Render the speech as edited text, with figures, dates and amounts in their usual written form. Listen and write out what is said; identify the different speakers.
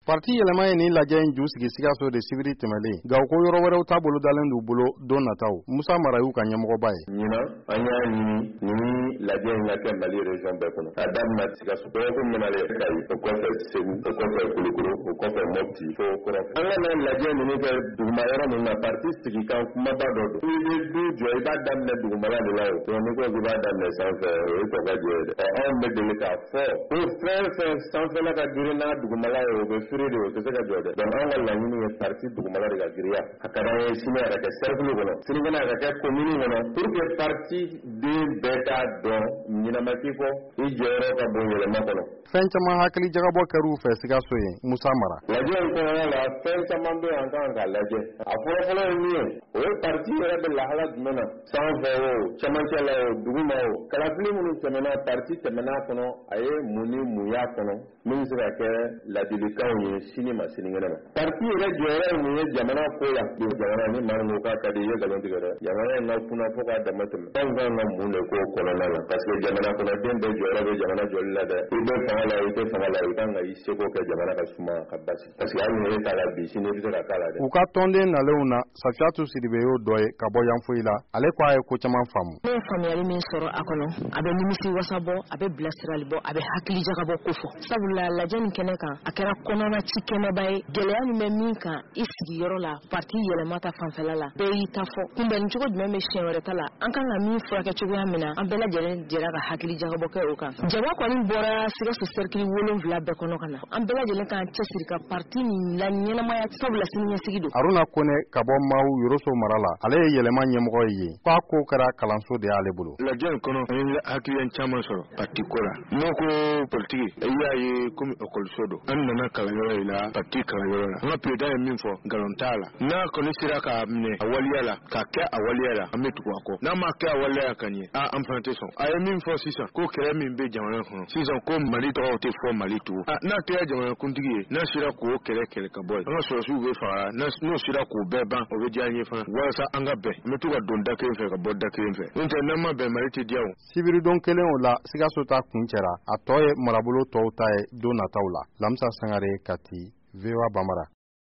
Speaker 1: Parti yɛlɛma ye nin lajɛ in ju sigi Sikaso de sibiri tɛmɛlen, nka u ko yɔrɔ wɛrɛw ta bolodalen d'u bolo don nataw. Musa Mara y'u ka ɲɛmɔgɔba ye.
Speaker 2: Ɲinan, an y'a ɲini ni lajɛ in ka kɛ Mali région bɛɛ kɔnɔ, k'a daminɛ Sikaso. Dɔgɔkun min nalen Kayi, o kɔfɛ Segu, o kɔfɛ Kulukoro, o kɔfɛ Mopti fo kɔrɔn. An ka na lajɛ ninnu kɛ duguma yɔrɔ ninnu na, parti sigikan kumaba dɔ don. I bɛ du jɔ, i b'a daminɛ dugumala de la o. Donc n'i ko k'i b'a daminɛ sanfɛ, o ye kɔ ka jɛ ye dɛ. Ɔ anw bɛ deli k'a fɔ ko fɛn fɛn sanfɛla ka girin n'a dugumala ye, o bɛ firi de, o tɛ se ka jɔ dɛ. Donc anw ka laɲini ye parti dugumala de ka girinya. A ka d'an ye sini a ka kɛ cercle kɔnɔ, sinikɛnɛ a ka kɛ commune kɔnɔ, pour que parti den bɛɛ k'a dɔn ɲinɛ ma k'i kɔ, i jɔyɔrɔ ka bon yɛlɛma kɔnɔ.
Speaker 1: Fɛn caman hakili jagabɔ kɛr'u fɛ Sikaso yen. Musa Mara.
Speaker 2: Lajɛ in kɔnɔna la, fɛn caman bɛ yen an kan k'a lajɛ. A fɔlɔfɔlɔ ye min ye, o ye parti yɛrɛ bɛ lahala jumɛn na, sanfɛ o, cɛmancɛ la o, duguma o. Kalafili minnu tɛmɛna, parti tɛmɛna a kɔnɔ, a ye mun ni mun y'a kɔnɔ min bɛ se ka kɛ ladilikanw ye sini ma sinikɛnɛ ma. Parti yɛrɛ jɔyɔrɔ ye mun ye jamana ko la? Jamana ni maa min ko k'a ka di i ye, nkalon tigɛ dɛ. Jamana in ka kunna fo k'a dama tɛmɛ. Anw kan ka mun de k'o kɔnɔna la? Parce que jamana kɔnɔden bɛɛ jɔyɔrɔ bɛ jamana jɔli la dɛ. I bɛ fanga la, i tɛ fanga la, i kan ka i seko kɛ jamana ka suma ka basigi. Parce que hali ni e t'a la bi, sini i bɛ se ka k'a la dɛ.
Speaker 1: U ka tɔnden nalenw na, Safiyatu Sidibe y'o dɔ ye ka bɔ Yanfoyila. Ale ko a ye ko caman faamu.
Speaker 3: Ne ye faamuyali min sɔrɔ a kɔnɔ, a bɛ nimisi wasa bɔ, a bɛ bilasirali bɔ, a bɛ hakili jagabɔ ko fɔ. Sabula lajɛ nin kɛnɛ kan, a kɛra kɔnɔna ci kɛnɛba ye. Gɛlɛya min bɛ min kan i sigiyɔrɔ la, parti yɛlɛma ta fanfɛla la, bɛɛ y'i ta fɔ. Kunbɛnni cogo jumɛn bɛ siɲɛ wɛrɛ ta la, an kan ka min furakɛ cogoya min na, an bɛɛ lajɛlen jɛra ka hakili jagabɔ kɛ o kan. Jama kɔni bɔra Sikaso sɛrikili 7 bɛɛ kɔnɔ ka na. An bɛɛ lajɛlen k'an cɛsiri ka parti nin la ɲɛnamaya, sabula siniɲɛsigi don.
Speaker 1: Haruna Kone ka bɔ Mawu Yoroso mara la, ale ye yɛlɛma ɲɛmɔgɔ ye yen. K'a ko kɛra kalanso de y'ale bolo.
Speaker 4: Lajɛ in kɔnɔ, an ye hakilina caman sɔrɔ parti ko la. N'o ko politiki, i y'a ye komi ekɔliso don. An nana kalanyɔrɔ in la, parti kalanyɔrɔ la. An ka président ye min fɔ, nkalon t'a la. N'a kɔni sera k'a minɛ a waleya la, k'a kɛ a waleya la, an bɛ tugu a kɔ. N'a ma kɛ a waleya ka ɲɛ, aa an fana tɛ sɔn. A ye min fɔ sisan, ko kɛlɛ min bɛ jamana kɔnɔ sisan, ko Mali tɔgɔ tɛ fɔ Mali tugun. N'a kɛra jamanakuntigi ye, n'a sera k'o kɛlɛ kɛlɛ ka bɔ yen, an ka sɔrɔdasiw bɛ faga, n'o sera k'o bɛɛ ban, o bɛ diya an ye fana, walasa an ka bɛn. An bɛ to ka don da kelen fɛ ka bɔ da kelen fɛ. N'o tɛ, n'an ma bɛn, Mali tɛ diya o.
Speaker 1: Sibiridon kelen o la, Sikaso ta kuncɛra, a tɔ ye marabolo tɔw ta ye don nataw la. Lamisa Sangare, Kati, VOA Bambara.